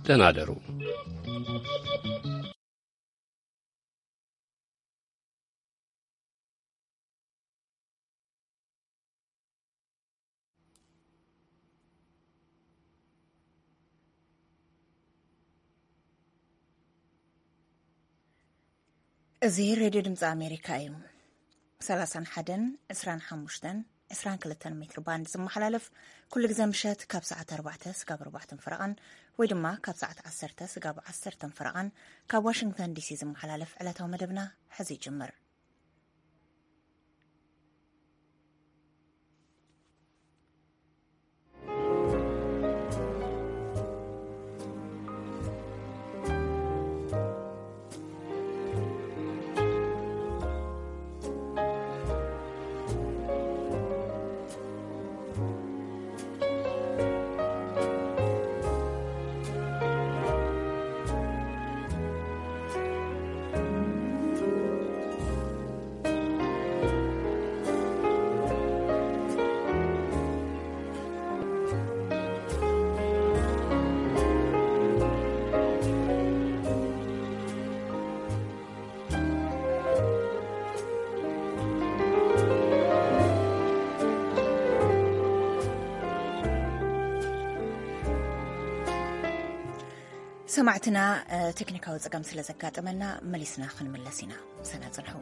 ደህና ደሩ። እዚ ሬድዮ ድምፂ ኣሜሪካ እዩ። ሰላሳን ሓደን፣ ዕስራን ሓሙሽተን፣ ዕስራን ክልተን ሜትር ባንድ ዝመሓላለፍ፣ ኩሉ ግዜ ምሸት ካብ ሰዓት ኣርባዕተ ስጋብ ኣርባዕተን ፈረቓን፣ ወይ ድማ ካብ ሰዓት ዓሰርተ ስጋብ ዓሰርተን ፈረቓን፣ ካብ ዋሽንግተን ዲሲ ዝመሓላለፍ ዕለታዊ መደብና ሕዚ ይጅምር። ሰማዕትና፣ እ፣ ቴክኒካዊ ጸገም ስለ ዘጋጠመና መሊስና ክንምለስ ኢና። ምሳና ጽንሑ።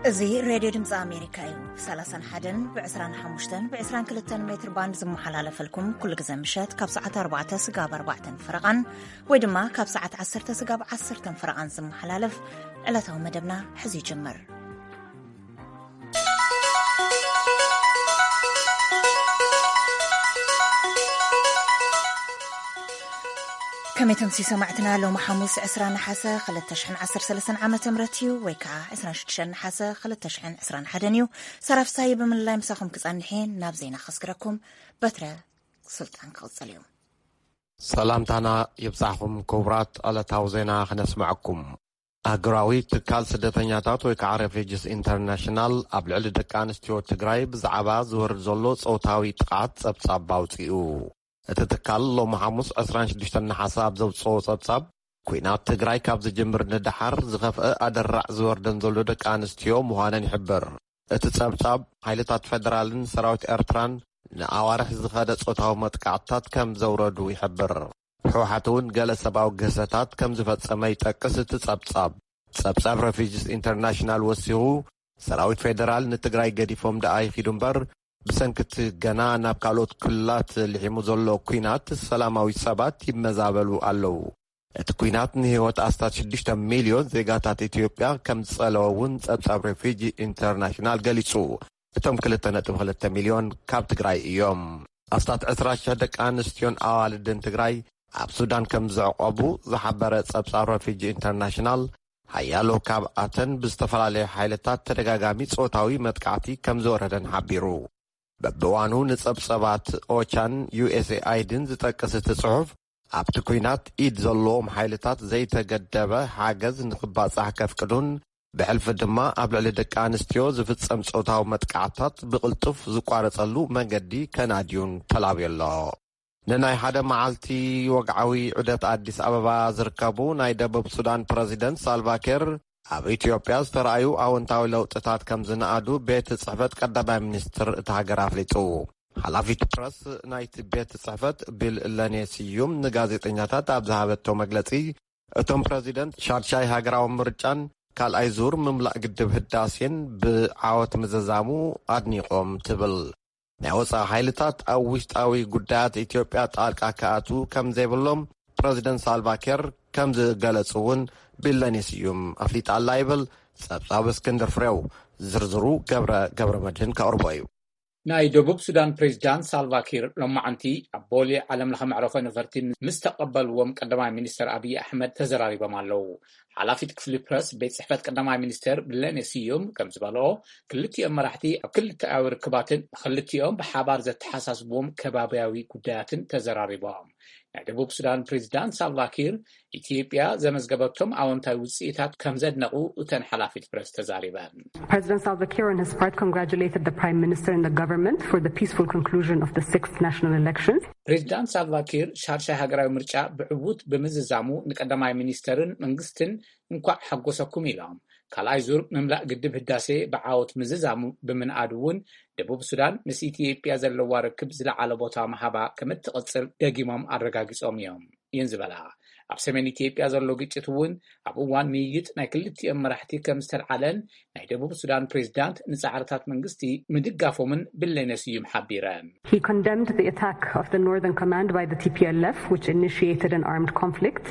እዚ ሬድዮ ድምፂ ኣሜሪካ እዩ። ብ31፣ ብ25፣ ብ22 ሜትር ባንድ ዝመሓላለፈልኩም ኩሉ ግዜ ምሸት ካብ ሰዓት ኣርባዕተ ስጋብ ኣርባዕተን ፈረቓን፣ ወይ ድማ ካብ ሰዓት ዓሰርተ ስጋብ ዓሰርተን ፈረቓን ዝመሓላለፍ ዕለታዊ መደብና ሕዚ ይጅምር። ከመይ ተምሲ ሰማዕትና፣ ሎሚ ሓሙስ ዕስራ ነሓሰ ክልተ ሽሕን ዓሰርተ ሰለስተን ዓመተ ምህረት እዩ፣ ወይ ከዓ ዕስራን ሽዱሽተን ነሓሰ ክልተ ሽሕን ዕስራን ሓደን እዩ። ሰራፍሳይ ብምልላይ ምሳኹም ክጸንሕ እየ። ናብ ዜና ከስግረኩም በትረ ስልጣን ክቕጽል እዩ። ሰላምታና ይብጻሕኩም ክቡራት፣ ዕለታዊ ዜና ክነስምዐኩም። ኣህጉራዊ ትካል ስደተኛታት ወይ ከዓ ሬፊጅስ ኢንተርናሽናል ኣብ ልዕሊ ደቂ ኣንስትዮ ትግራይ ብዛዕባ ዝወርድ ዘሎ ጾታዊ ጥቕዓት ጸብጻብ ኣውጺኡ። እቲ ትካል ሎሚ ሓሙስ ዕስራን ሽዱሽተን ነሓሰ ኣብ ዘውጽኦ ጸብጻብ፣ ኲናት ትግራይ ካብ ዝጅምር ንደሓር ዝኸፍአ ኣደራዕ ዝወርደን ዘሎ ደቂ ኣንስትዮ ምዃነን ይሕብር። እቲ ጸብጻብ፣ ሓይልታት ፌደራልን ሰራዊት ኤርትራን ንኣዋርሕ ዝኸደ ጾታዊ መጥቃዕትታት ከም ዘውረዱ ይሕብር። ህወሓት እውን ገለ ሰብኣዊ ግህሰታት ከም ዝፈጸመ ይጠቅስ እቲ ጸብጻብ። ጸብጻብ ሬፊጅስ ኢንተርናሽናል ወሲኹ፣ ሰራዊት ፌደራል ንትግራይ ገዲፎም ደኣ ይኺዱ እምበር፣ ብሰንኪ እቲ ገና ናብ ካልኦት ክልላት ልሒሙ ዘሎ ኲናት ሰላማዊ ሰባት ይመዛበሉ ኣለዉ። እቲ ኲናት ንህይወት ኣስታት ሽዱሽተ ሚልዮን ዜጋታት ኢትዮጵያ ከም ዝጸለወ እውን ጸብጻብ ሬፊጂ ኢንተርናሽናል ገሊጹ። እቶም ክልተ ነጥቢ ክልተ ሚልዮን ካብ ትግራይ እዮም። ኣስታት ዕስራ ሽሕ ደቂ ኣንስትዮን ኣዋልድን ትግራይ ኣብ ሱዳን ከም ዝዕቆቡ ዝሓበረ ጸብጻብ ሬፊጂ ኢንተርናሽናል፣ ሓያሎ ካብኣተን ብዝተፈላለዩ ሓይልታት ተደጋጋሚ ጾታዊ መጥቃዕቲ ከም ዝወረደን ሓቢሩ። በብእዋኑ ንጸብጸባት ኦቻን ዩ ኤስ ኤ ኣይ ዲን ዝጠቅስ እቲ ጽሑፍ፣ ኣብቲ ኲናት ኢድ ዘለዎም ሓይልታት ዘይተገደበ ሓገዝ ንኽባጻሕ ከፍቅዱን፣ ብሕልፊ ድማ ኣብ ልዕሊ ደቂ ኣንስትዮ ዝፍጸም ጾታዊ መጥቃዕታት ብቕልጡፍ ዝቋረጸሉ መንገዲ ከናድዩን ተላብዩ ኣሎ። ንናይ ሓደ መዓልቲ ወግዓዊ ዑደት ኣዲስ ኣበባ ዝርከቡ ናይ ደቡብ ሱዳን ፕረዚደንት ሳልቫኪር፣ ኣብ ኢትዮጵያ ዝተራእዩ ኣወንታዊ ለውጥታት ከም ዝነኣዱ ቤት ጽሕፈት ቀዳማይ ሚኒስትር እታ ሃገር ኣፍሊጡ። ሓላፊት ፕረስ ናይቲ ቤት ጽሕፈት ቢለኔ ስዩም ንጋዜጠኛታት ኣብ ዝሃበቶ መግለጺ፣ እቶም ፕረዚደንት ሻድሻይ ሃገራዊ ምርጫን ካልኣይ ዙር ምምላእ ግድብ ህዳሴን ብዓወት ምዝዛሙ ኣድኒቖም ትብል። ናይ ወጻኢ ሓይልታት ኣብ ውሽጣዊ ጉዳያት ኢትዮጵያ ጣልቃ ክኣትዉ ከም ዘይብሎም ፕረዚደንት ሳልቫኪር ከም ዝገለጹ እውን ቢለኔ ስዩም ኣፍሊጣ ኣላ ይብል ጸብጻብ እስክንድር ፍሬው። ዝርዝሩ ገብረ፣ ገብረ መድህን ከቕርቦ እዩ። ናይ ደቡብ ሱዳን ፕሬዚዳንት ሳልቫኪር ሎማዓንቲ ኣብ ቦሌ ዓለም ለኸ መዕረፎ ነፈርቲ ምስ ተቐበልዎም ቀዳማይ ሚኒስተር ኣብይ ኣሕመድ ተዘራሪቦም ኣለዉ። ሓላፊት ክፍሊ ፕረስ ቤት ጽሕፈት ቀዳማይ ሚኒስተር ብለኔ ስዩም ከም ዝበልኦ፣ ክልቲኦም መራሕቲ ኣብ ክልተኣዊ ርክባትን ክልቲኦም ብሓባር ዘተሓሳስብዎም ከባብያዊ ጉዳያትን ተዘራሪቦም። ናይ ደቡብ ሱዳን ፕሬዚዳንት ሳልቫኪር ኢትዮጵያ ዘመዝገበቶም ኣወንታዊ ውጽኢታት ከም ዘድነቑ እተን ሓላፊት ፕረስ ተዛሪበን። President Salva Kiir, on his part, congratulated the Prime Minister and the government for the peaceful conclusion of the sixth national elections. ፕሬዚዳንት ሳልቫኪር ሻድሻይ ሃገራዊ ምርጫ ብዕዉት ብምዝዛሙ ንቀዳማይ ሚኒስተርን መንግስትን እንኳዕ ሓጎሰኩም ኢሎም። ካልኣይ ዙር ምምላእ ግድብ ህዳሴ ብዓወት ምዝዛሙ ብምንኣዱ እውን ደቡብ ሱዳን ምስ ኢትዮጵያ ዘለዋ ርክብ ዝለዓለ ቦታ ምሃባ ከም እትቕጽል ደጊሞም ኣረጋጊጾም እዮም እየን ዝበላ። ኣብ ሰሜን ኢትዮጵያ ዘሎ ግጭት እውን ኣብ እዋን ምይይጥ ናይ ክልቲኦም መራሕቲ ከም ዝተልዓለን ናይ ደቡብ ሱዳን ፕሬዚዳንት ንጻዕርታት መንግስቲ ምድጋፎምን ብለኔ ስዩም ሓቢረን። He condemned the attack of the Northern Command by the T P L F, which initiated an armed conflict,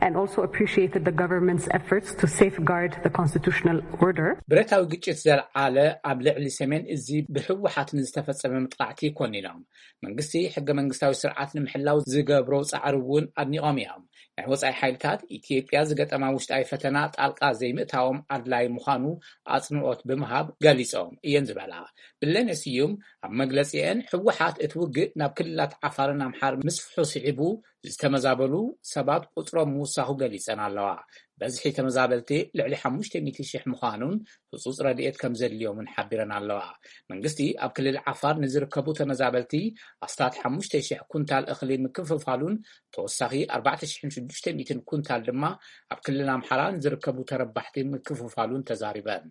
and also appreciated the government's efforts to safeguard the constitutional order. ብረታዊ ግጭት ዘልዓለ ኣብ ልዕሊ ሰሜን እዚ ብህወሓት ንዝተፈጸመ መጥቃዕቲ ኮኒኖም፣ መንግስቲ ሕገ መንግስታዊ ስርዓት ንምሕላው ዝገብሮ ጻዕሪ እውን ኣድኒቖም እዮም። ናይ ወጻኢ ሓይልታት ኢትዮጵያ ዝገጠማ ውሽጣዊ ፈተና ጣልቃ ዘይምእታዎም ኣድላይ ምዃኑ ኣጽንኦት ብምሃብ ገሊጾም እየን ዝበላ ብለኔ ስዩም ኣብ መግለጺአን፣ ህወሓት እቲ ውግእ ናብ ክልላት ዓፋርን ኣምሓር ምስፍሑ ስዒቡ ዝተመዛበሉ ሰባት ቁጽሮም ምውሳኹ ገሊጸን ኣለዋ። በዝሒ ተመዛበልቲ ልዕሊ ሓሙሽተ ሚእቲ ሽሕ ምዃኑን ህጹጽ ረድኤት ከም ዘድልዮምን ሓቢረን ኣለዋ። መንግስቲ ኣብ ክልል ዓፋር ንዝርከቡ ተመዛበልቲ ኣስታት ሓሙሽተ ሽሕ ኩንታል እኽሊ ምክፍፋሉን ተወሳኺ ኣርባዕተ ሽሕን ሽዱሽተ ሚእትን ኩንታል ድማ ኣብ ክልል ኣምሓራ ንዝርከቡ ተረባሕቲ ምክፍፋሉን ተዛሪበን።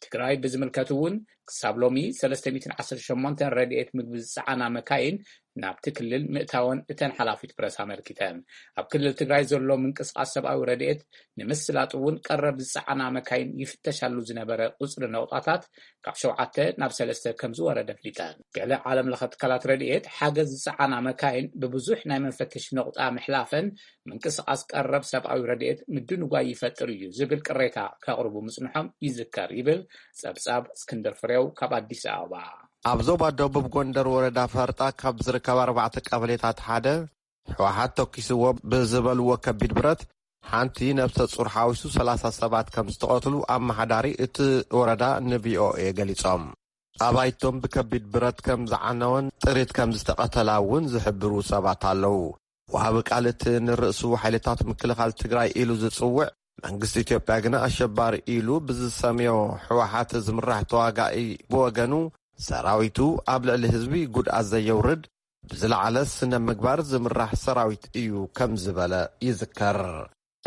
ትግራይ ብዝምልከት እውን ክሳብ ሎሚ ሰለስተ ሚእትን ዓሰርተ ሸሞንተን ረድኤት ምግቢ ዝጸዓና መካይን ናብቲ ክልል ምእታወን እተን ሓላፊት ፕረስ ኣመልኪተን። ኣብ ክልል ትግራይ ዘሎ ምንቅስቓስ ሰብኣዊ ረድኤት ንምስላጥ እውን ቀረብ ዝጸዓና መካይን ይፍተሻሉ ዝነበረ ቁጽሪ ነቑጣታት ካብ ሸውዓተ ናብ ሰለስተ ከም ዝወረደ ኣፍሊጠን። ገለ ዓለም ለኸ ትካላት ረድኤት ሓገዝ ዝጸዓና መካይን ብብዙሕ ናይ መፈተሺ ነቑጣ ምሕላፈን ምንቅስቓስ ቀረብ ሰብኣዊ ረድኤት ምድንጓይ ይፈጥር እዩ ዝብል ቅሬታ ከቕርቡ ምጽንሖም ይዝከር ይብል ጸብጻብ እስክንድር ፍሬው ካብ ኣዲስ ኣበባ። ኣብ ዞባ ደቡብ ጎንደር ወረዳ ፈርጣ ካብ ዝርከባ ኣርባዕተ ቀበሌታት ሓደ ህወሓት ተኪስዎ ብዝበልዎ ከቢድ ብረት ሓንቲ ነብሰ ጹር ሓዊሱ ሰላሳ ሰባት ከም ዝተቐትሉ ኣመሓዳሪ እቲ ወረዳ ንቪኦኤ ገሊጾም። ኣባይቶም ብከቢድ ብረት ከም ዝዓነወን ጥሪት ከም ዝተቐተላ እውን ዝሕብሩ ሰባት ኣለዉ። ወሃቢ ቃል እቲ ንርእሱ ሓይልታት ምክልኻል ትግራይ ኢሉ ዝጽውዕ መንግስቲ ኢትዮጵያ ግና ኣሸባሪ ኢሉ ብዝሰምዮ ህወሓት ዝምራሕ ተዋጋኢ ብወገኑ፣ ሰራዊቱ ኣብ ልዕሊ ህዝቢ ጉድኣት ዘየውርድ፣ ብዝለዓለ ስነ ምግባር ዝምራሕ ሰራዊት እዩ ከም ዝበለ ይዝከር።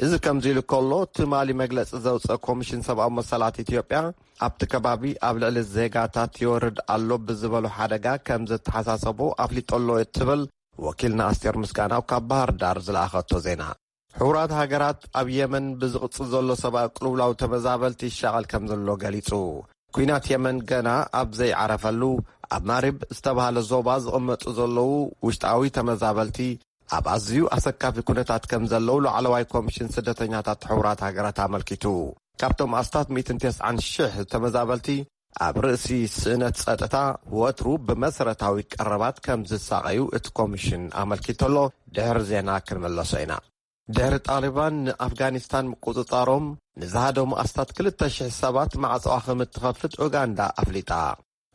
እዚ ከምዚ ኢሉ ከሎ፣ ትማሊ መግለጺ ዘውፀ ኮሚሽን ሰብኣዊ መሰላት ኢትዮጵያ ኣብቲ ከባቢ ኣብ ልዕሊ ዜጋታት ይወርድ ኣሎ ብዝበሎ ሓደጋ ከም ዘተሓሳሰቦ ኣፍሊጦ ኣሎ እትብል ወኪልና ኣስቴር ምስጋናው ካብ ባህር ዳር ዝለኣኸቶ ዜና። ሕቡራት ሃገራት ኣብ የመን ብዝቕጽል ዘሎ ሰብኣዊ ቅልውላው ተመዛበልቲ ይሻቐል ከም ዘሎ ገሊጹ። ኲናት የመን ገና ኣብ ዘይዓረፈሉ፣ ኣብ ማሪብ ዝተባህለ ዞባ ዝቕመጡ ዘለዉ ውሽጣዊ ተመዛበልቲ ኣብ ኣዝዩ ኣሰካፊ ኩነታት ከም ዘለዉ ላዕለዋይ ኮሚሽን ስደተኛታት ሕቡራት ሃገራት ኣመልኪቱ። ካብቶም ኣስታት ሚእትን ተስዓን ሽሕ ተመዛበልቲ ኣብ ርእሲ ስእነት ጸጥታ ወትሩ ብመሰረታዊ ቀረባት ከም ዝሳቐዩ እቲ ኮሚሽን ኣመልኪቱ ኣሎ። ድሕሪ ዜና ክንመለሶ ኢና። ድሕሪ ጣሊባን ንኣፍጋኒስታን ምቁጽጻሮም፣ ንዝሃደሙ ኣስታት ክልተ ሽሕ ሰባት ማዕጾኣ ከም እትኸፍት ኡጋንዳ ኣፍሊጣ።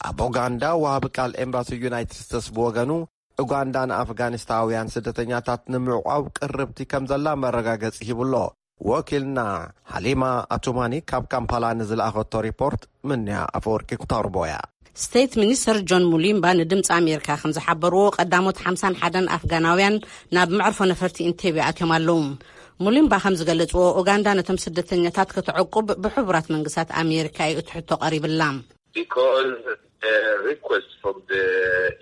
ኣብ ኡጋንዳ ወሃቢ ቃል ኤምባሲ ዩናይትድ ስቴትስ ብወገኑ፣ ኡጋንዳ ንኣፍጋኒስታውያን ስደተኛታት ንምዕቋብ ቅርብቲ ከም ዘላ መረጋገጺ ሂቡሎ። ወኪልና ሓሊማ ኣቱማኒ ካብ ካምፓላ ንዝለኣኸቶ ሪፖርት ምንያ ኣፈወርቂ ክተቕርቦ እያ። ስቴት ሚኒስተር ጆን ሙሊምባ ንድምፂ ኣሜሪካ ከም ዝሓበርዎ፣ ቀዳሞት ሓምሳን ሓደን ኣፍጋናውያን ናብ መዕርፎ ነፈርቲ ኢንቴቤ ኣትዮም ኣለዉ። ሙሊምባ ከም ዝገለጽዎ፣ ኡጋንዳ ነቶም ስደተኛታት ከተዕቁብ ብሕቡራት መንግስታት ኣሜሪካ እዩ እቲ ሕቶ ቀሪብላ። Because the request from the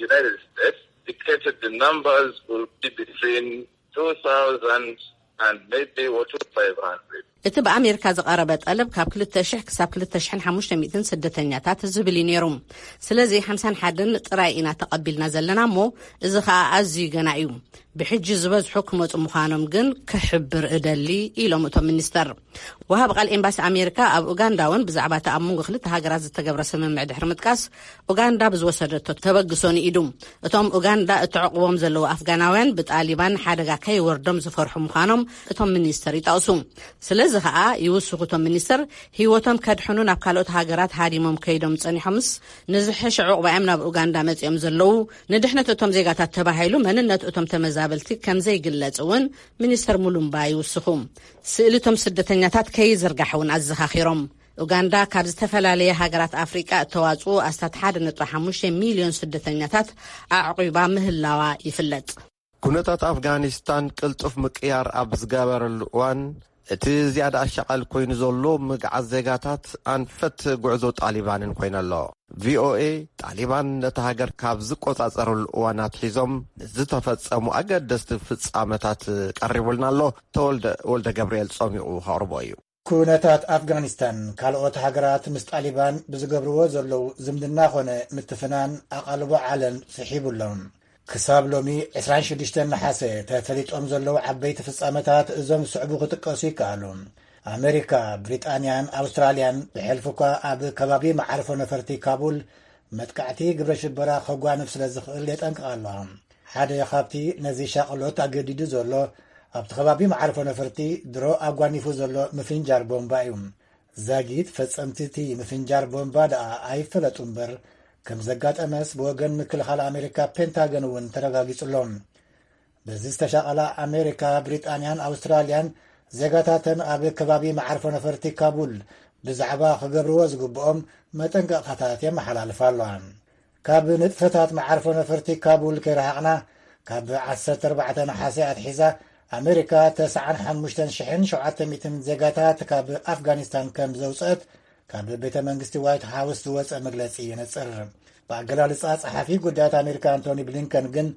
United States dictated the numbers will be between two thousand and maybe or two thousand five hundred. እቲ ብኣሜሪካ ዝቐረበ ጠለብ ካብ ክልተ ሽሕ ክሳብ ክልተ ሽሕን ሓሙሽተ ሚእትን ስደተኛታት ዝብል እዩ ነይሩ። ስለዚ ሓምሳን ሓደን ጥራይ ኢና ተቐቢልና ዘለና እሞ፣ እዚ ኸኣ ኣዝዩ ገና እዩ። ብሕጂ ዝበዝሑ ክመጹ ምዃኖም ግን ክሕብር እደሊ፣ ኢሎም እቶም ሚኒስተር። ወሃብ ቃል ኤምባሲ ኣሜሪካ ኣብ ኡጋንዳ እውን ብዛዕባ እቲ ኣብ መንጎ ክልተ ሃገራት ዝተገብረ ስምምዕ ድሕሪ ምጥቃስ፣ ኡጋንዳ ብዝወሰደቶ ተበግሶ ንኢዱ። እቶም ኡጋንዳ እተዕቑቦም ዘለዉ ኣፍጋናውያን ብጣሊባን ሓደጋ ከይወርዶም ዝፈርሑ ምዃኖም እቶም ሚኒስተር ይጠቕሱ። ስለዚ ኸኣ ይውስኹ እቶም ሚኒስተር፣ ህይወቶም ከድሕኑ ናብ ካልኦት ሃገራት ሃዲሞም ከይዶም ጸኒሖምስ ንዝሕሸ ዕቑባ እዮም ናብ ኡጋንዳ መጺኦም ዘለዉ። ንድሕነት እቶም ዜጋታት ተባሂሉ መንነት እቶም ተመዛበልቲ ከም ዘይግለጽ እውን ሚኒስተር ሙሉምባ ይውስኹ። ስእሊ እቶም ስደተኛታት ከይዝርጋሕ እውን ኣዘኻኺሮም። ኡጋንዳ ካብ ዝተፈላለየ ሃገራት ኣፍሪቃ እተዋጽኡ ኣስታት ሓደ ነጥቢ ሓሙሽተ ሚልዮን ስደተኛታት ኣዕቒባ ምህላዋ ይፍለጥ። ኩነታት ኣፍጋኒስታን ቅልጡፍ ምቅያር ኣብ ዝገበረሉ እዋን፣ እቲ ዝያዳ ኣሻቓል ኮይኑ ዘሎ ምግዓዝ ዜጋታት ኣንፈት ጉዕዞ ጣሊባንን ኮይነሎ። ቪኦኤ፣ ጣሊባን ነቲ ሃገር ካብ ዝቆጻጸረሉ እዋን ኣትሒዞም ንዝተፈጸሙ ኣገደስቲ ፍጻመታት ቀሪቡልና ኣሎ። ተወልደ ወልደ ገብርኤል ጸሚቑ ከቕርቦ እዩ። ኩነታት ኣፍጋኒስታን፣ ካልኦት ሃገራት ምስ ጣሊባን ብዝገብርዎ ዘለዉ ዝምድና ኾነ ምትፍናን ኣቓልቦ ዓለም ስሒቡ ኣሎ። ክሳብ ሎሚ ዕስራን ሽዱሽተን ነሓሰ ተፈሊጦም ዘለዉ ዓበይቲ ፍጻመታት እዞም ዝስዕቡ ክጥቀሱ ይከኣሉ። ኣመሪካ፣ ብሪጣንያን ኣውስትራልያን ብሕልፊ እኳ ኣብ ከባቢ መዓርፎ ነፈርቲ ካቡል መጥቃዕቲ ግብረ ሽበራ ከጓንፍ ስለ ዝኽእል የጠንቅቓ ኣለዋ። ሓደ ካብቲ ነዚ ሻቕሎት ኣገዲዱ ዘሎ ኣብቲ ከባቢ መዓርፎ ነፈርቲ ድሮ ኣጓኒፉ ዘሎ ምፍንጃር ቦምባ እዩ። ዛጊት ፈጸምቲ እቲ ምፍንጃር ቦምባ ደኣ ኣይፈለጡ እምበር፣ ከም ዘጋጠመስ ብወገን ምክልኻል ኣሜሪካ ፔንታገን እውን ተረጋጊጹ ኣሎ። በዚ ዝተሻቐላ ኣሜሪካ፣ ብሪጣንያን ኣውስትራልያን ዜጋታተን ኣብ ከባቢ መዓርፎ ነፈርቲ ካቡል ብዛዕባ ክገብርዎ ዝግብኦም መጠንቀቕታታት የመሓላልፋ ኣለዋ። ካብ ንጥፈታት መዓርፎ ነፈርቲ ካቡል ከይረሓቕና፣ ካብ ዓሰርተ ኣርባዕተ ነሓሰ ኣትሒዛ ኣሜሪካ ተስዓን ሓሙሽተን ሽሕን ሸውዓተ ሚእትን ዜጋታት ካብ ኣፍጋኒስታን ከም ዘውፅአት ካብ ቤተ መንግስቲ ዋይት ሃውስ ዝወፀ መግለፂ የነፅር። ብኣገላልፃ ፀሓፊ ጉዳያት ኣሜሪካ ኣንቶኒ ብሊንከን ግን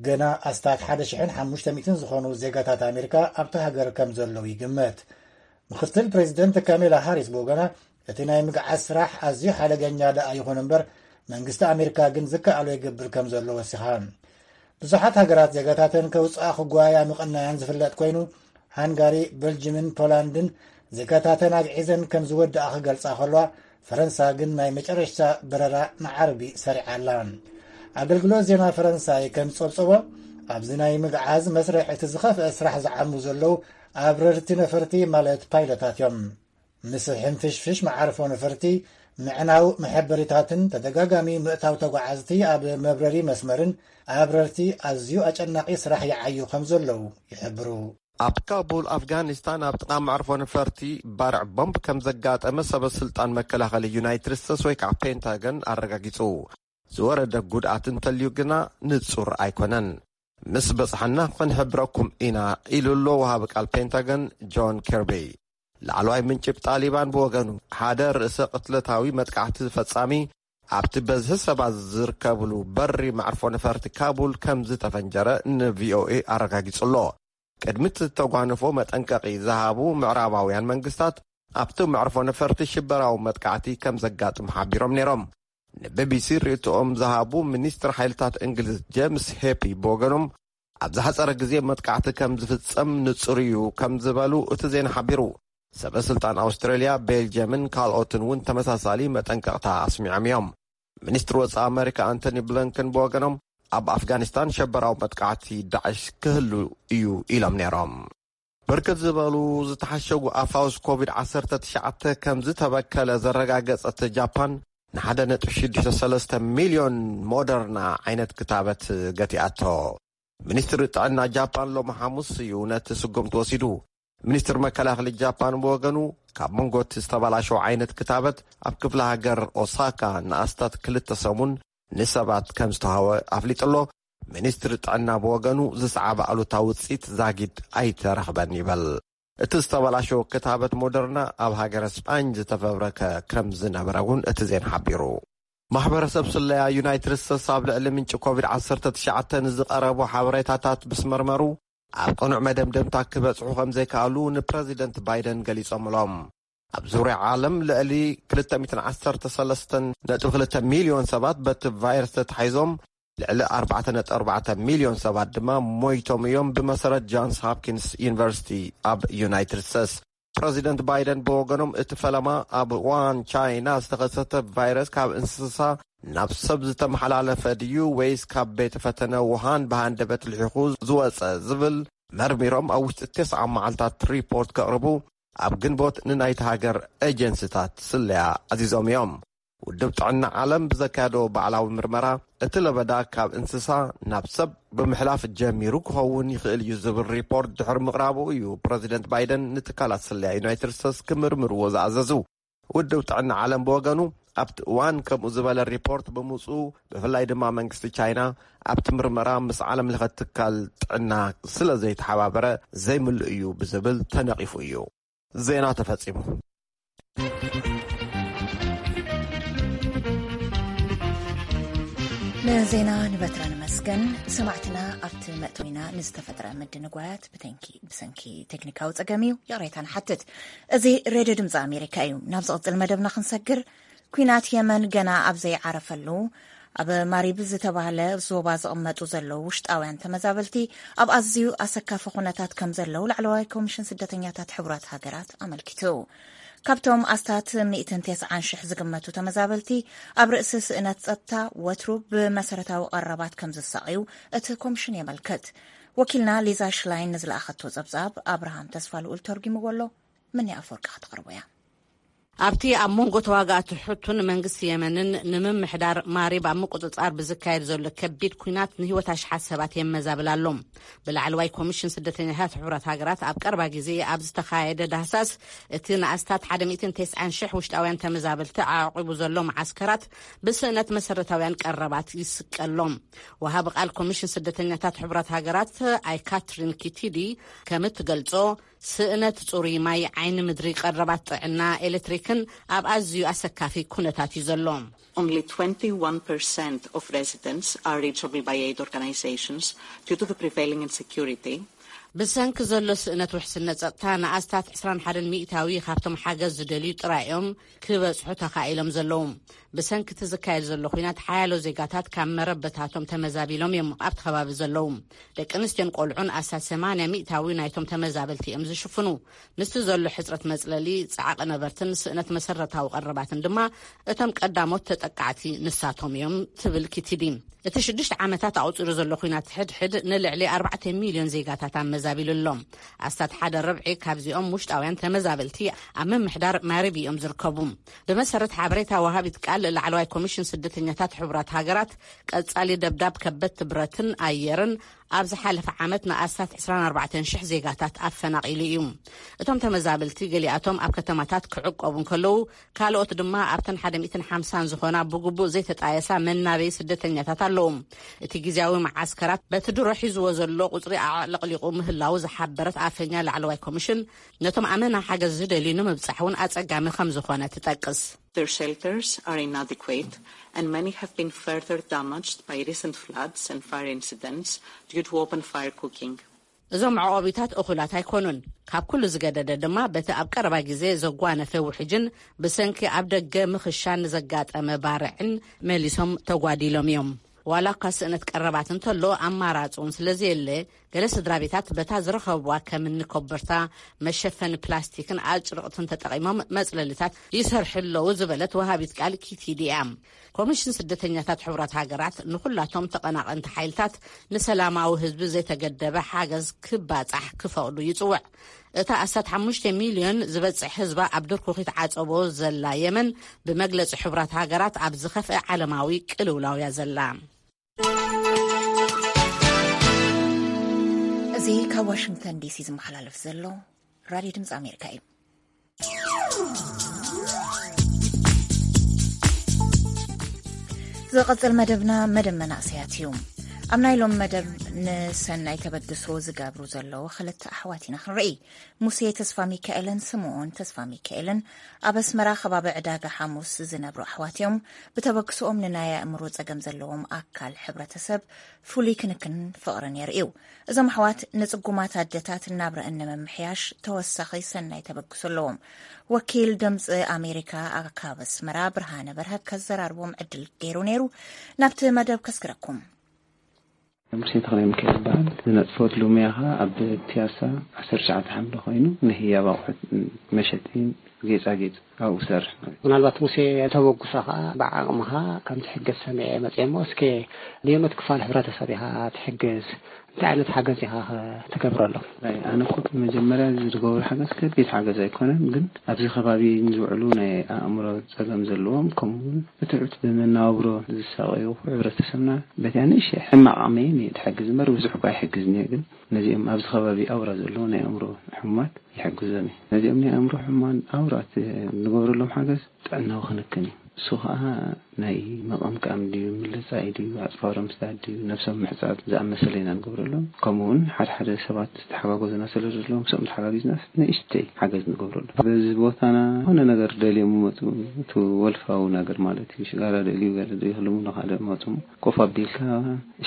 ገና ኣስታት ሓደ ሽሕን ሓሙሽተ ሚእትን ዝኾኑ ዜጋታት ኣሜሪካ ኣብቲ ሃገር ከም ዘለዉ ይግመት። ምክትል ፕሬዚደንት ካሜላ ሃሪስ ብወገና፣ እቲ ናይ ምግዓዝ ስራሕ ኣዝዩ ሓደገኛ ደኣ ይኹን እምበር፣ መንግስቲ ኣሜሪካ ግን ዝከኣሎ ይገብር ከም ዘሎ ወሲኻ። ብዙሓት ሃገራት ዜጋታተን ከውፅኣ ክጓያ ምቕናያን ዝፍለጥ ኮይኑ፣ ሃንጋሪ፣ በልጅምን ፖላንድን ዜጋታተን ኣግዒዘን ከም ዝወድኣ ክገልጻ ከለዋ፣ ፈረንሳ ግን ናይ መጨረሽታ በረራ ንዓርቢ ሰሪዓ ኣላ። ኣገልግሎት ዜና ፈረንሳይ ከም ዝጸብጸቦ፣ ኣብዚ ናይ ምግዓዝ መስርሕ እቲ ዝኸፍአ ስራሕ ዝዓሙ ዘለዉ ኣብረርቲ ነፈርቲ ማለት ፓይለታት እዮም። ምስ ሕንፍሽፍሽ መዓርፎ ነፈርቲ፣ ምዕናው መሐበሪታትን ተደጋጋሚ ምእታው ተጓዓዝቲ ኣብ መብረሪ መስመርን ኣብረርቲ ኣዝዩ ኣጨናቒ ስራሕ ይዓዩ ከም ዘለዉ ይሕብሩ። ኣብ ካቡል ኣፍጋኒስታን ኣብ ጥቓ መዕርፎ ነፈርቲ ባርዕ ቦምብ ከም ዘጋጠመ ሰበ ስልጣን መከላኸሊ ዩናይትድ ስቴትስ ወይ ከዓ ፔንታገን ኣረጋጊጹ። ዝወረደ ጉድኣት እንተልዩ ግና ንጹር ኣይኮነን። ምስ በጽሓና ክንሕብረኩም ኢና፣ ኢሉ ኣሎ ወሃቢ ቃል ፔንታገን ጆን ኬርቢ። ላዕለዋይ ምንጭ ጣሊባን ብወገኑ፣ ሓደ ርእሰ ቅትለታዊ መጥቃዕቲ ፈጻሚ ኣብቲ በዝሒ ሰባት ዝርከብሉ በሪ መዕርፎ ነፈርቲ ካቡል ከም ዝተፈንጀረ ንቪኦኤ ኣረጋጊጹ ኣሎ። ቅድሚ እቲ ተጓንፎ መጠንቀቒ ዝሃቡ ምዕራባውያን መንግስታት፣ ኣብቲ መዕርፎ ነፈርቲ ሽበራዊ መጥቃዕቲ ከም ዘጋጥም ሓቢሮም ነይሮም። ንቢቢሲ ርእይቶኦም ዝሃቡ ሚኒስትር ሓይልታት እንግሊዝ ጄምስ ሄፒ ብወገኖም፣ ኣብ ዝሓጸረ ግዜ መጥቃዕቲ ከም ዝፍጸም ንጹር እዩ ከም ዝበሉ እቲ ዜና ሓቢሩ። ሰበ ስልጣን ኣውስትራልያ፣ ቤልጅየምን ካልኦትን እውን ተመሳሳሊ መጠንቀቕታ ኣስሚዖም እዮም። ሚኒስትሪ ወጻኢ ኣመሪካ ኣንቶኒ ብሊንከን ብወገኖም፣ ኣብ ኣፍጋኒስታን ሸበራዊ መጥቃዕቲ ዳዕሽ ክህሉ እዩ ኢሎም ነይሮም። ብርክት ዝበሉ ዝተሓሸጉ ኣፋውስ ኮቪድ ዓሰርተ ትሽዓተ ከም ዝተበከለ ዘረጋገጸት ጃፓን፣ ን ሓደ ነጥቢ ሽዱሽተ ሰለስተ ሚልዮን ሞደርና ዓይነት ክታበት ገቲኣቶ። ሚኒስትሪ ጥዕና ጃፓን ሎሚ ሓሙስ እዩ ነቲ ስጉምቲ ወሲዱ። ሚኒስትሪ መከላኸሊ ጃፓን ብወገኑ፣ ካብ መንጎ እቲ ዝተበላሸወ ዓይነት ክታበት ኣብ ክፍለ ሃገር ኦሳካ ንኣስታት ክልተ ሰሙን ንሰባት ከም ዝተዋህበ ኣፍሊጡ ኣሎ። ሚኒስትሪ ጥዕና ብወገኑ፣ ዝሰዓበ ኣሉታዊ ውጽኢት ዛጊድ ኣይተረኽበን ይበል። እቲ ዝተበላሸወ ክታበት ሞደርና ኣብ ሃገረ ስጳኝ ዝተፈብረከ ከም ዝነበረ እውን እቲ ዜና ሓቢሩ። ማሕበረሰብ ስለያ ዩናይትድ ስቴትስ ኣብ ልዕሊ ምንጪ ኮቪድ ዓሰርተ ትሽዓተ ንዝቐረቡ ሓበሬታታት ምስ መርመሩ፣ ኣብ ቅኑዕ መደምደምታ ክበጽሑ ከም ዘይከኣሉ ንፕረዚደንት ባይደን ገሊጾምሎም። ኣብ ዙርያ ዓለም ልዕሊ ክልተ ሚእትን ዓሰርተ ሰለስተን ነጥቢ ክልተ ሚልዮን ሰባት በቲ ቫይረስ ተታሒዞም፣ ልዕሊ ኣርባዕተ ነጥቢ ኣርባዕተ ሚልዮን ሰባት ድማ ሞይቶም እዮም፣ ብመሰረት ጃንስ ሆፕኪንስ ዩኒቨርሲቲ ኣብ ዩናይትድ ስቴትስ። ፕረዚደንት ባይደን ብወገኖም፣ እቲ ፈለማ ኣብ ዋን ቻይና ዝተኸሰተ ቫይረስ ካብ እንስሳ ናብ ሰብ ዝተመሓላለፈ ድዩ ወይስ ካብ ቤተ ፈተነ ውሃን ብሃንደበት ልሒኹ ዝወጸ ዝብል መርሚሮም ኣብ ውሽጢ ተስዓ መዓልታት ሪፖርት ከቕርቡ ኣብ ግንቦት ንናይቲ ሃገር ኤጀንሲታት ስለያ ኣዚዞም እዮም። ውድብ ጥዕና ዓለም ብዘካየዶ ባዕላዊ ምርመራ፣ እቲ ለበዳ ካብ እንስሳ ናብ ሰብ ብምሕላፍ ጀሚሩ ክኸውን ይኽእል እዩ ዝብል ሪፖርት ድሕሪ ምቕራቡ እዩ ፕረዚደንት ባይደን ንትካላት ስለያ ዩናይትድ ስቴትስ ክምርምርዎ ዝኣዘዙ። ውድብ ጥዕና ዓለም ብወገኑ፣ ኣብቲ እዋን ከምኡ ዝበለ ሪፖርት ብምውፅኡ፣ ብፍላይ ድማ መንግስቲ ቻይና ኣብቲ ምርመራ ምስ ዓለም ለኸ ትካል ጥዕና ስለ ዘይተሓባበረ ዘይምሉእ እዩ ብዝብል ተነቒፉ እዩ። ዜና ተፈጺሙ። ንዜና ንበትረ ንመስገን። ሰማዕትና ኣብቲ መእተዊና ንዝተፈጥረ ምድንጓያት ብተንኪ-፣ ብሰንኪ ቴክኒካዊ ጸገም እዩ ይቕሬታ ንሓትት። እዚ ሬድዮ ድምጺ ኣሜሪካ እዩ። ናብ ዝቕጽል መደብና ክንሰግር፣ ኲናት የመን ገና ኣብ ዘይዓረፈሉ፣ ኣብ ማሪብ ዝተባህለ ዞባ ዝቕመጡ ዘለዉ ውሽጣውያን ተመዛበልቲ ኣብ ኣዝዩ ኣሰካፊ ኩነታት ከም ዘለዉ ላዕለዋይ ኮሚሽን ስደተኛታት ሕቡራት ሃገራት ኣመልኪቱ። ካብቶም ኣስታት ሚእትን ተስዓን ሽሕ ዝግመቱ ተመዛበልቲ፣ ኣብ ርእሲ ስእነት ጸጥታ ወትሩ ብመሰረታዊ ቀረባት ከም ዝሳቐዩ እቲ ኮሚሽን የመልክት። ወኪልና ሊዛ ሽላይን ንዝለኣኸቶ ጸብጻብ ኣብርሃም ተስፋልኡል ተርጒምዎ ኣሎ። ምኒ ኣፈወርቂ ከተቕርቦ እያ። ኣብቲ ኣብ መንጎ ተዋጋእቲ ሕቱን መንግስቲ የመንን ንምምሕዳር ማሪብ ኣብ ምቁጽጻር ብዝካየድ ዘሎ ከቢድ ኲናት ንህይወት ኣሽሓት ሰባት የመዛብል ኣሎ። ብላዕለዋይ ኮሚሽን ስደተኛታት ሕቡራት ሃገራት ኣብ ቀረባ ግዜ ኣብ ዝተኻየደ ዳህሳስ፣ እቲ ንኣስታት ሓደ ሚእትን ተስዓን ሽሕ ውሽጣውያን ተመዛበልቲ ኣዕቂቡ ዘሎ መዓስከራት ብስእነት መሰረታውያን ቀረባት ይስቀሎም። ወሃቢ ቃል ኮሚሽን ስደተኛታት ሕቡራት ሃገራት ኣይ ካትሪን ኪቲዲ ከም እትገልጾ፣ ስእነት ጽሩይ ማይ፣ ዓይኒ ምድሪ፣ ቀረባት ጥዕና፣ ኤሌክትሪክን ኣብ ኣዝዩ ኣሰካፊ ኩነታት እዩ ዘሎ። Only twenty-one percent of residents are reachable by aid organizations due to the prevailing insecurity. ብሰንኪ ዘሎ ስእነት ውሕስነት ጸጥታ፣ ንኣስታት ዕስራን ሓደን ሚእታዊ ካብቶም ሓገዝ ዝደልዩ ጥራይ እዮም ክበጽሑ ተኻኢሎም ዘለዉ። ብሰንኪ እቲ ዝካየድ ዘሎ ኲናት ሓያሎ ዜጋታት ካብ መረበታቶም ተመዛቢሎም እዮም ኣብቲ ከባቢ ዘለዉ። ደቂ ኣንስትዮን ቆልዑን ኣስታት ሰማንያ ሚእታዊ ናይቶም ተመዛበልቲ እዮም ዝሽፍኑ። ምስቲ ዘሎ ሕጽረት መጽለሊ፣ ጻዕቒ ነበርትን ስእነት መሰረታዊ ቀረባትን ድማ እቶም ቀዳሞት ተጠቃዕቲ ንሳቶም እዮም ትብል ኪቲዲ። እቲ ሽዱሽተ ዓመታት ኣቑጺሩ ዘሎ ኲናት ሕድሕድ ንልዕሊ ኣርባዕተ ሚልዮን ዜጋታት ኣመዛቢሉ ኣሎ። ኣስታት ሓደ ርብዒ ካብዚኦም ውሽጣውያን ተመዛበልቲ ኣብ ምምሕዳር ማሪቢ እዮም ዝርከቡ። ብመሰረት ሓበሬታ ወሃቢት ቃል ላዕለዋይ ኮሚሽን ስደተኛታት ሕቡራት ሃገራት፣ ቀጻሊ ደብዳብ ከበድቲ ብረትን ኣየርን ኣብ ዝሓለፈ ዓመት ንኣስታት ዕስራን ኣርባዕተን ሽሕ ዜጋታት ኣፈናቒሉ እዩ። እቶም ተመዛበልቲ ገሊኣቶም ኣብ ከተማታት ክዕቆቡ እንከለዉ፣ ካልኦት ድማ ኣብተን ሓደ ሚእትን ሓምሳን ዝኾና ብግቡእ ዘይተጣየሳ መናበይ ስደተኛታት ኣለዉ። እቲ ግዝያዊ መዓስከራት በቲ ድሮ ሒዝዎ ዘሎ ቁጽሪ ኣዕለቕሊቑ ምህላዉ ዝሓበረት ኣፈኛ ላዕለዋይ ኮሚሽን፣ ነቶም ኣመና ሓገዝ ዝደልዩ ንምብጻሕ እውን ኣጸጋሚ ከም ዝኾነ ትጠቅስ። Their shelters are inadequate, and many have been further damaged by recent floods and fire incidents due to open fire cooking. እዞም መዕቆቢታት እኹላት ኣይኮኑን። ካብ ኩሉ ዝገደደ ድማ በቲ ኣብ ቀረባ ግዜ ዘጓነፈ ውሕጅን ብሰንኪ ኣብ ደገ ምኽሻን ዘጋጠመ ባርዕን መሊሶም ተጓዲሎም እዮም። ዋላ እኳ ስእነት ቀረባት እንተሎ፣ ኣማራጺ እውን ስለ ዘየለ፣ ገለ ስድራ ቤታት በታ ዝረኸብዋ ከም እኒ ኮበርታ፣ መሸፈኒ ፕላስቲክን ኣጭርቕትን ተጠቒሞም መጽለሊታት ይሰርሑ ኣለዉ ዝበለት ወሃቢት ቃል ኪቲዲ እያ። ኮሚሽን ስደተኛታት ሕቡራት ሃገራት ንኹላቶም ተቐናቐንቲ ሓይልታት ንሰላማዊ ህዝቢ ዘይተገደበ ሓገዝ ክባጻሕ ክፈቕዱ ይጽውዕ። እታ ኣስታት ሓሙሽተ ሚልዮን ዝበጽሕ ህዝባ ኣብ ድርኩኺት ዓጸቦ ዘላ የመን፣ ብመግለጺ ሕቡራት ሃገራት ኣብ ዝኸፍአ ዓለማዊ ቅልውላው እያ ዘላ። እዚ ካብ ዋሽንግተን ዲሲ ዝመሓላለፍ ዘሎ ራድዮ ድምፂ ኣሜሪካ እዩ። ዝቐጽል መደብና መደብ መናእሰያት እዩ። ኣብ ናይ ሎም መደብ ንሰናይ ተበግሶ ዝገብሩ ዘለዉ ክልተ ኣሕዋት ኢና ክንርኢ። ሙሴ ተስፋ ሚካኤልን ስምኦን ተስፋ ሚካኤልን ኣብ ኣስመራ ከባቢ ዕዳጋ ሓሙስ ዝነብሩ ኣሕዋት እዮም። ብተበግሶኦም ንናይ ኣእምሮ ጸገም ዘለዎም ኣካል ሕብረተሰብ ፍሉይ ክንክን ፍቕርን የርእዩ። እዞም ኣሕዋት ንጽጉማት ኣደታት ናብረአን ንምምሕያሽ ተወሳኺ ሰናይ ተበግሶ ኣለዎም። ወኪል ድምፂ ኣሜሪካ ኣብ ካብ ኣስመራ ብርሃነ በርሀ ከዘራርቦም ዕድል ገይሩ ነይሩ። ናብቲ መደብ ከስግረኩም። ሙሴ ተኽለ ሚካኤል ይበሃል። ዝነጥፈሉ ሙያ ኸዓ ኣብ ፒያሳ ዓሰርተ ትሽዓተ ሓምለ ኮይኑ ንህያብ ኣቑሑት መሸጢ ጌፃጌፅ ኣብኡ ሰርሕ ማለት እዩ። ምናልባት ሙሴ ተበግሶኻ ብዓቕምኻ ከም ትሕገዝ ሰሚዐ መፅኤ እሞ እስከ ንየኖት ክፋል ሕብረተሰብ ኢኻ ትሕግዝ? እንታይ ዓይነት ሓገዝ ኢኻ ኸ ትገብረሎም? ኣይ፣ ኣነ እኮ መጀመርያ ዝገብሮ ሓገዝ ከቢድ ሓገዝ ኣይኮነን፣ ግን ኣብዚ ከባቢ ንዝውዕሉ ናይ ኣእምሮ ጸገም ዘለዎም፣ ከምኡ እውን ብትሑት ብመነባብሮ ዝሳቐዩ ሕብረተሰብና በቲ ንእሽተይ ሕማቕ ዓቕመይ እየ ዝሕግዝ እምበር ብዙሕ እኳ ኣይሕግዝን እየ። ግን ነዚኦም ኣብዚ ከባቢ ኣውራ ዘለዉ ናይ ኣእምሮ ሕሙማት ይሕግዞም እየ። ነዚኦም ናይ ኣእምሮ ሕሙማን ኣውራ እቲ ንገብረሎም ሓገዝ ጥዕናዊ ክንክን እዩ። እሱ ኸኣ ናይ ምቕምቃም ድዩ፣ ምልጻይ ድዩ፣ ኣጽፋሮም ምስዳድ ድዩ፣ ነብሶም ምሕጻብ ዝኣመሰለ ኢና ንገብረሎም። ከምኡ እውን ሓደ ሓደ ሰባት ዝተሓጋገዙና ስለ ዘለዉ፣ ምስኦም ተሓጋጊዝናስ ንእሽተይ ሓገዝ ንገብረሎም። በዚ ቦታና ዝኾነ ነገር ደልዮም ይመጹ፣ እቲ ወልፋዊ ነገር ማለት እዩ። ሽጋራ ደልዩ፣ ገለ ደልዩ ክልሙ ንኻልእ መጹ። ኮፍ ኣቢልካ፣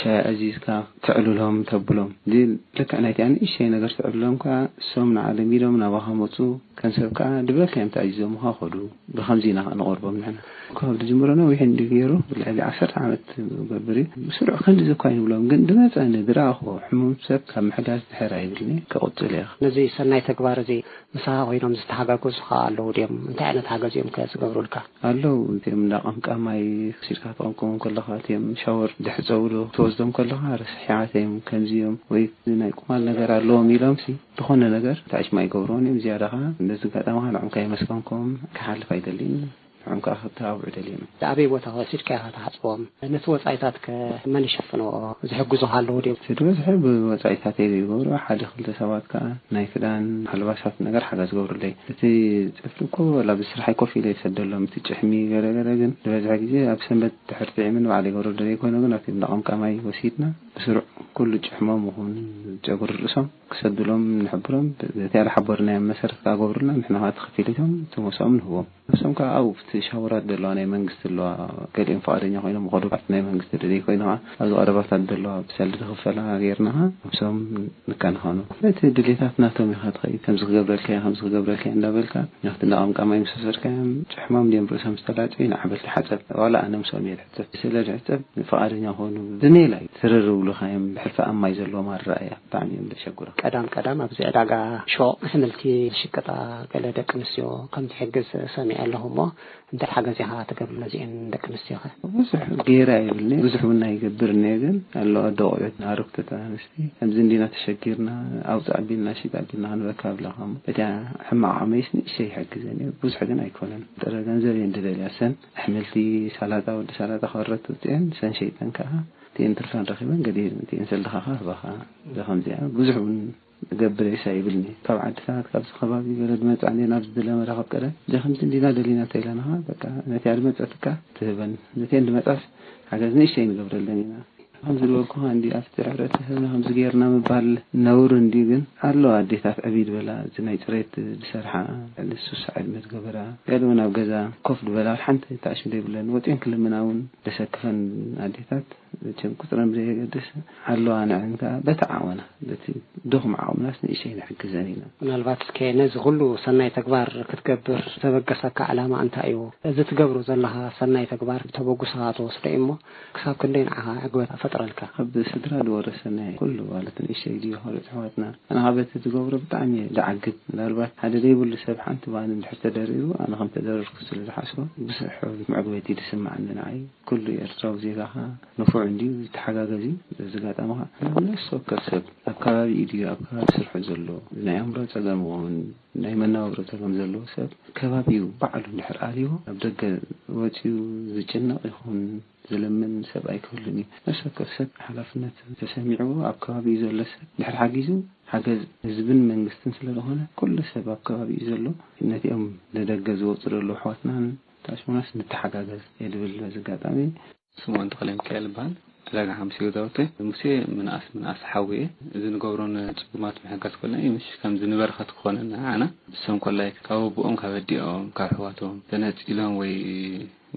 ሻሂ ኣዚዝካ፣ ተዕልሎም፣ ተብሎም። እዚ ልክዕ ናይቲኣ ንእሽተይ ነገር ተዕልሎም ከኣ፣ እሶም ንዓ ለሚዶም ናባኻ መጹ። ከም ሰብ ከኣ ድበልካዮም ተኣዚዞምኻ ኸዱ። ብኸምዚ ኢና ከኣ ንቐርቦም ንሕና። ካብ ዝጅምሮ ነዊሕ እንዲ ገይሩ፣ ልዕሊ ዓሰርተ ዓመት ክገብር እዩ። ብስሩዕ ክንድዚ እኳ ኣይንብሎም፣ ግን ድመጸኒ፣ ድረኣኹዎ ሕሙም ሰብ ካብ ምሕጋዝ ድሕር ኣይብልኒ፣ ክቕጽል እየ። ነዚ ሰናይ ተግባር እዚ ምሳኻ ኮይኖም ዝተሓጋገዙኻ ኣለዉ ድዮም? እንታይ ዓይነት ሓገዝ እዮም ከ ዝገብሩልካ? ኣለዉ፣ እዚኦም እንዳ ቀምቃማይ፣ ክሲድካ ትቐምቅሞም ከለኻ፣ እቲኦም ሻወር ድሕጸቡ ዶ ትወስዶም ከለኻ፣ ረሳሒዓት እዮም፣ ከምዚ እዮም፣ ወይ ናይ ቁማል ነገር ኣለዎም ኢሎምሲ፣ ዝኾነ ነገር ታች ማይ ይገብርዎን እዮም። ዝያዳ ኸዓ፣ በዚ ኣጋጣሚ ኸዓ ንዖም ከየመስገንኩም ክሓልፍ ኣይደልን። ንዖም ከኣ ክተባብዑ ደልዮም። ኣበይ ቦታ ወሲድካ ኢኻ ትሓጽቦም? ነቲ ወጻኢታት ከ መን ይሽፍንዎ? ዝሕግዙኻ ኣለዉ ድዮም? እቲ ዝበዝሐ ብወጻኢታተይ ዝገብሮ፣ ሓደ ክልተ ሰባት ከኣ ናይ ክዳን፣ ኣልባሳት ነገር ሓገዝ ዝገብሩለይ። እቲ ጽፍሪ እኮ ዋላ ብስራሐይ ኮፍ ኢለ ይሰደሎም፣ እቲ ጭሕሚ ገለ ገለ፣ ግን ዝበዝሐ ግዜ ኣብ ሰንበት ድሕር ጥዒምን ባዕለይ ይገብሮ ደለይ ኮይኑ፣ ግን ኣብቲ እንዳ ቀምቃማይ ወሲድና ብስሩዕ ኩሉ ጭሕሞም ይኹን ጨጉሪ ርእሶም ክሰዱሎም ንሕብሮም። እቲ ያልሓበርናዮም መሰረት ክገብሩልና ንሕና ከዓ ተኸፊሊቶም ተመሶም ንህቦም። እሶም ከዓ ኣብኡ ኣብቲ ሻወራት ዘለዋ ናይ መንግስቲ ኣለዋ፣ ገሊኦም ፍቓደኛ ኮይኖም ይኸዱ። ኣብቲ ናይ መንግስቲ ደለይ ኮይኑ ከዓ ኣብዚ ቀረባታት ዘለዋ ብሰልዲ ዝኽፈላ ጌርና ከዓ ኣብሶም ንከናኸኖ። እቲ ድሌታት ናቶም ኢኻ ትኸይድ፣ ከምዚ ክገብረልካ እየ፣ ከምዚ ክገብረልካ እየ እንዳበልካ ናብቲ እንዳቐምቃማይ ምስ ወሰድካዮም ጭሕሞም ድዮም ርእሶም ዝተላጨዩ ንዓበልቲ ሓጸብ። ዋላ ኣነ ምስኦም እየ ዝሕጸብ። ስለ ዝሕጸብ ፍቓደኛ ኮኑ ብሜላ እዩ። ትርር ብሉኻዮም ብሕልፊ ኣብ ማይ ዘለዎም ኣረኣእያ ብጣዕሚ እዮም ዘሸግሩ። ቀዳም ቀዳም ኣብዚ ዕዳጋ ሾቕ ኣሕምልቲ ዝሽቅጣ ገለ ደቂ ኣንስትዮ ከም ትሕግዝ ሰሚዐ ኣለኹ እሞ፣ እንታይ ሓገዝ ኢኻ ትገብር ነዚአን ደቂ ኣንስትዮኸ? ብዙሕ ገይረ ኣይብልኒ፣ ብዙሕ እውን ኣይገብርን እየ። ግን ኣለዋ ደቆዑት ኣረግቶት ኣንስቲ ከምዚ እንዲና ተሸጊርና፣ ኣውፅእ ኣቢልና፣ ሽጥ ኣቢልና ክንበካ ኣብላኻ እሞ፣ እቲኣ ሕማቕ ዓቕመይስ ንእሽተይ ይሕግዘን እዩ፣ ብዙሕ ግን ኣይኮነን። ጥረ ገንዘብ እየን ዝደልያ ሰን ኣሕምልቲ፣ ሳላጣ፣ ወዲ ሳላጣ ከረቱ ውፅአን ሰን ሸይጠን ከዓ እቲኤን ትርፈን ረኺበን ገዲኤን እቲኤን ሰልድኻ ከዓ ህባኻ። እዛ ከምዚኣ ብዙሕ እውን ገብር ኢሳ ይብልኒ። ካብ ዓድታት ካብዚ ከባቢ ገለ ዝመጻ እንዴ ናብዚ ዝለመዳ ካብ ቀደም እዛ ከምዚ እንዲና ደሊና ተይለናኻ በቃ ነቲኣ ዝመጸትካ ትህበን። ነቲአን ዝመጻስ ሓገዝ ንእሽተይ ንገብረለን ኢና። ከም ዝበልኩኻ እንዲ ኣብቲ ሕብረተሰብና ከምዚ ጌርና ምባል ነውሪ እንዲ ግን ኣሎ ኣዴታት ዕብይ ዝበላ እዚ ናይ ጽሬት ዝሰርሓ ልዕሊ ስሳ ዕድመ ዝገበራ ገለ እውን ኣብ ገዛ ኮፍ ዝበላ ሓንቲ ታሽም ዘይብለን ወጺኦን ክልምና እውን ደሰክፈን ኣዴታት መቸም ቁፅረን ብዘየገድስ ኣለዋ። ንዕን ከዓ በቲ ዓቕምና በቲ ድኹም ዓቕምናስ ንእሽተይ ንሕግዘን ኢና። ምናልባት እስከ ነዚ ኩሉ ሰናይ ተግባር ክትገብር ዘበገሰካ ዕላማ እንታይ እዩ? እዚ ትገብሮ ዘለኻ ሰናይ ተግባር ተበጉስኻ ትወስዶ እዩ እሞ ክሳብ ክንደይ ንዓኻ ዕግበት ኣፈጥረልካ? ካብ ስድራ ዝወረሰናይ ኩሉ ማለት ንእሽተይ ድዩ ካልኦት ኣሕዋትና ኣነ ካብ በቲ ዝገብሮ ብጣዕሚ እየ ዝዓግብ። ምናልባት ሓደ ዘይብሉ ሰብ ሓንቲ ባኒ እንድሕር ተደሪሩ ኣነ ከም ተደረርኩ ስለ ዝሓስቦ ብዙሕ መዕግበቲ እዩ ዝስምዓኒ ንዓይ። ኩሉ ኤርትራዊ ዜጋኻ ንፉዕ እንድዩ፣ ይተሓጋገዝ እዩ። በዚ ኣጋጣሚ ኸዓ ነፍሲ ወከፍ ሰብ ኣብ ከባቢኡ ድዩ ኣብ ከባቢ ስርሑ ዘሎ ናይ ኣእምሮ ጸገም ይኹን ናይ መነባብሮ ጸገም ዘለዎ ሰብ ከባቢኡ ባዕሉ እንድሕር ኣልይዎ ኣብ ደገ ወጺኡ ዝጭነቕ ይኹን ዝልምን ሰብ ኣይክህሉን እዩ። ነፍሲ ወከፍ ሰብ ሓላፍነት ተሰሚዕዎ ኣብ ከባቢኡ ዘሎ ሰብ እንድሕር ሓጊዙ ሓገዝ ህዝብን መንግስትን ስለ ዝኾነ ኩሉ ሰብ ኣብ ከባቢኡ ዘሎ ነቲኦም ንደገ ዝወጹ ዘለዉ ኣሕዋትናን ታሽሙናስ ንተሓጋገዝ እየ ዝብል በዚ ኣጋጣሚ። ስምኦን ተኽለሚካኤል ይበሃል። ዕዳጋ ሓሙስ ገዛውቲ። ሙሴ ምንኣስ ምንኣስ ሓውየ። እዚ ንገብሮ ንጽጉማት ምሕጋዝ ኮልና እዩ። ምሽ ከምዚ ንበረኸት ክኾነና ንዓና። ንሶም ኮላይ ካብ ኣቦኦም፣ ካብ ኣዲኦም፣ ካብ ኣሕዋቶም ተነጺሎም ወይ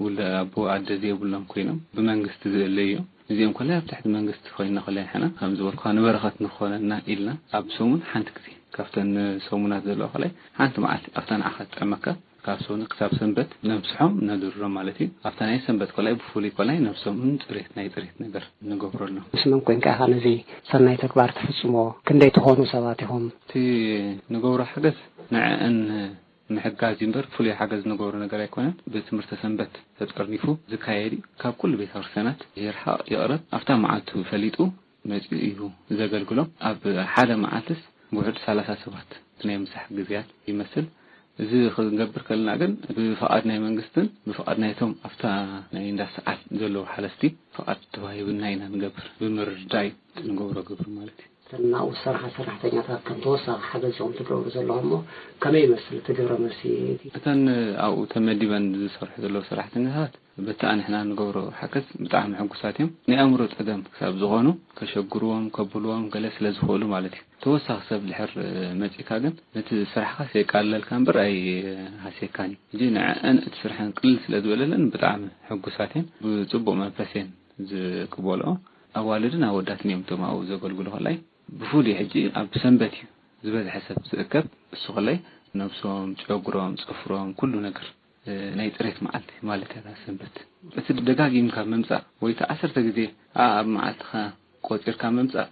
ውለ ኣቦ ኣደ ዘይብሎም ኮይኖም ብመንግስቲ ዝእለዩ እዮም። እዚኦም ኮላይ ኣብ ትሕቲ መንግስቲ ኮይንና ኮላይ ንሕና ከም ዝበልኩኻ ንበረኸት ንኾነና ኢልና ኣብ ሰሙን ሓንቲ ግዜ ካብተን ሰሙናት ዘለዋ ኮላይ ሓንቲ መዓልቲ ኣብታ ንዓኻ ትጥዕመካ ካብ ሰኒ ክሳብ ሰንበት ነምስሖም ነድርሮም ማለት እዩ። ኣብታ ናይ ሰንበት ኮላይ ብፍሉይ ኮላይ ነብሶምን ጽሬት ናይ ጽሬት ነገር ንገብረሎም። ምስ መን ኮንካ ኢኻ ነዚ ሰናይ ተግባር ትፍጽሞ? ክንደይ ትኾኑ ሰባት ኢኹም? እቲ ንገብሮ ሓገዝ ንዕአን ምሕጋዝ እዩ እምበር ፍሉይ ሓገዝ ንገብሮ ነገር ኣይኮነን። ብትምህርቲ ሰንበት ተጠርኒፉ ዝካየድ እዩ። ካብ ኩሉ ቤተ ክርስቲያናት ይርሓቕ ይቕረብ ኣብታ መዓልቱ ፈሊጡ መጺኡ እዩ ዘገልግሎም። ኣብ ሓደ መዓልትስ ውሑድ ሰላሳ ሰባት ናይ ምሳሕ ግዜያት ይመስል። እዚ ክንገብር ከለና ግን ብፍቓድ ናይ መንግስትን ብፍቓድ ናይቶም ኣብታ ናይ እንዳ ሰዓት ዘለዉ ሓለፍቲ ፍቓድ ተዋሂብና ኢና ንገብር። ብምርድዳእ እዩ እቲ ንገብሮ ግብሪ ማለት እዩ። እተን ናብኡ ዝሰርሓ ሰራሕተኛታት ከም ተወሳኺ ሓገዝ ኢኹም ትገብሩ ዘለኹም እሞ ከመይ ይመስል እቲ ግብረ መልሲ? እተን ኣብኡ ተመዲበን ዝሰርሑ ዘለዉ ሰራሕተኛታት በቲ ንሕና ንገብሮ ሓገዝ ብጣዕሚ ሕጉሳት እዮም። ናይ ኣእምሮ ጸገም ክሳብ ዝኾኑ ከሸግርዎም ከብልዎም ገለ ስለ ዝኽእሉ ማለት እዩ። ተወሳኺ ሰብ ድሕር መጺእካ ግን ነቲ ስራሕኻስ የቃልለልካ እምበር ኣይሃስየካን እዩ። ሕጂ ንዐአን እቲ ስርሐን ቅልል ስለ ዝበለለን ብጣዕሚ ሕጉሳት እየን። ብጽቡቕ መንፈስ እየን ዝቅበልኦ። ኣዋልድን ኣወዳትን እዮም እቶም ኣብኡ ዘገልግሉ። ከላይ ብፍሉይ ሕጂ ኣብ ሰንበት እዩ ዝበዝሐ ሰብ ዝእከብ። እሱ ከላይ ነብሶም፣ ጨጉሮም፣ ጽፍሮም፣ ኩሉ ነገር ናይ ጽሬት መዓልቲ ማለት እያ እታ ሰንበት። እቲ ደጋጊምካ ምምጻእ ወይ እቲ ዓሰርተ ግዜ ኣብ መዓልትኻ ቆጺርካ ምምጻእ፣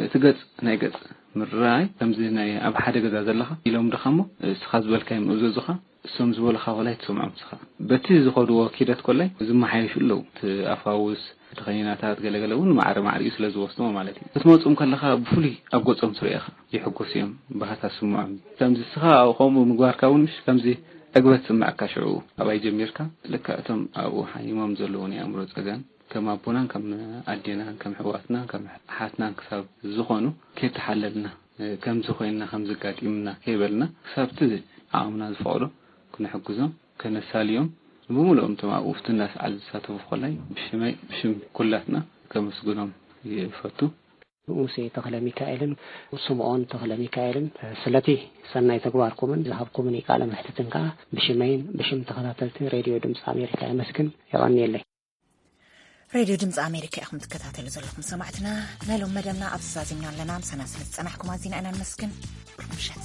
እቲ ገጽ ናይ ገጽ ምርኣይ ከምዚ ናይ ኣብ ሓደ ገዛ ዘለኻ ኢሎም ድኻ እሞ እስኻ ዝበልካዮም እዘዙኻ እሶም ዝበሉኻ ኮላይ ትሰምዖም እስኻ። በቲ ዝኸድዎ ኪደት ኮላይ ዝመሓየሹ ኣለዉ። እቲ ኣፋውስ፣ እቲ ከኒናታት ገለገለ እውን ማዕረ ማዕሪኡ ስለ ዝወስድዎ ማለት እዩ። ክትመፁም ከለኻ ብፍሉይ ኣብ ገፆም ትሪኦ ኢኻ። ይሕጎሱ እዮም፣ ባህታ ስምዖም እዩ። ከምዚ እስኻ ከምኡ ምግባርካ እውን ምሽ ከምዚ ዕግበት ዝስምዐካ ሽዑ ኣብኣይ ጀሚርካ ልክዕ እቶም ኣብኡ ሓሚሞም ዘለዉ ናይ ኣእምሮ ፀገም ከም ኣቦናን ከም ኣዴናን ከም ኣሕዋትናን ከም ኣሓትናን ክሳብ ዝኾኑ ከይተሓለልና ከምዚ ኮይንና ከምዚ ኣጋጢምና ከይበልና ክሳብ እቲ ዓቕምና ዝፈቕዶ ክነሕግዞም ከነሳልዮም ብምሉኦም እቶም ኣብኡ ኣብቲ እንዳሰዓል ዝሳተፉ ኮላይ ብሽመይ ብሽም ኩላትና ከመስግኖም ይፈቱ። ሙሴ ተኽለ ሚካኤልን ስምዖን ተኽለ ሚካኤልን ስለቲ ሰናይ ተግባርኩምን ዝሃብኩምኒ ቃለ መሕትትን ከዓ ብሽመይን ብሽም ተኸታተልቲ ሬድዮ ድምፂ ኣሜሪካ የመስግን። የቐንየለይ። ሬድዮ ድምፂ ኣሜሪካ ኢኹም ትከታተሉ ዘለኹም ሰማዕትና። ናይ ሎም መደብና ኣብዚ ዛዚምና ኣለና። ምሳና ስለ ዝፀናሕኩም ኣዚና ኢና ንመስግን። ብሩኽ ምሸት።